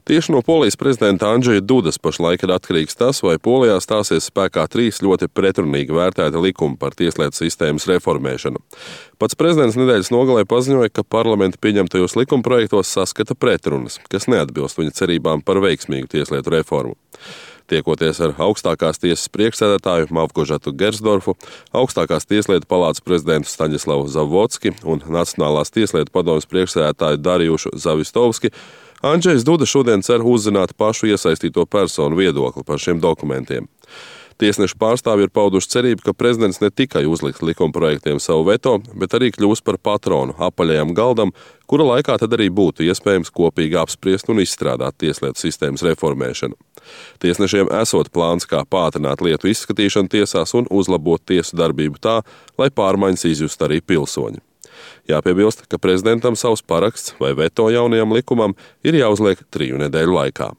Tieši no Polijas prezidenta Andžeja Dudas pašlaik ir atkarīgs tas, vai Polijā stāsies spēkā 3 ļoti pretrunīgi vērtēti likumi par tieslietu sistēmas reformēšanu. Pats prezidents nedēļas nogalē paziņoja, ka parlamenta pieņemtajos likumprojektos saskata pretrunas, kas neatbilst viņa cerībām par veiksmīgu tieslietu reformu. Tiekoties ar augstākās tiesas priekšsēdētāju Mavgožatu Gersdorfu, augstākās tieslietu palātas prezidentu Staņislavu Zavodski un Nacionālās tieslietu padomes priekšsēdētāju Darjušu Zavistovski, Andžejs Duda šodien cer uzzināt pašu iesaistīto personu viedokli par šiem dokumentiem. Tiesnešu pārstāvji ir pauduši cerību, ka prezidents ne tikai uzliks likumprojektiem savu veto, bet arī kļūs par patronu apaļajam galdam, kura laikā tad arī būtu iespējams kopīgi apspriest un izstrādāt tieslietu sistēmas reformēšanu. Tiesnešiem esot plāns, kā pātrināt lietu izskatīšanu tiesās un uzlabot tiesu darbību tā, lai pārmaiņas izjust arī pilsoņi. Jāpiebilst, ka prezidentam savs paraksts vai veto jaunajam likumam ir jāuzliek 3 nedēļu laikā.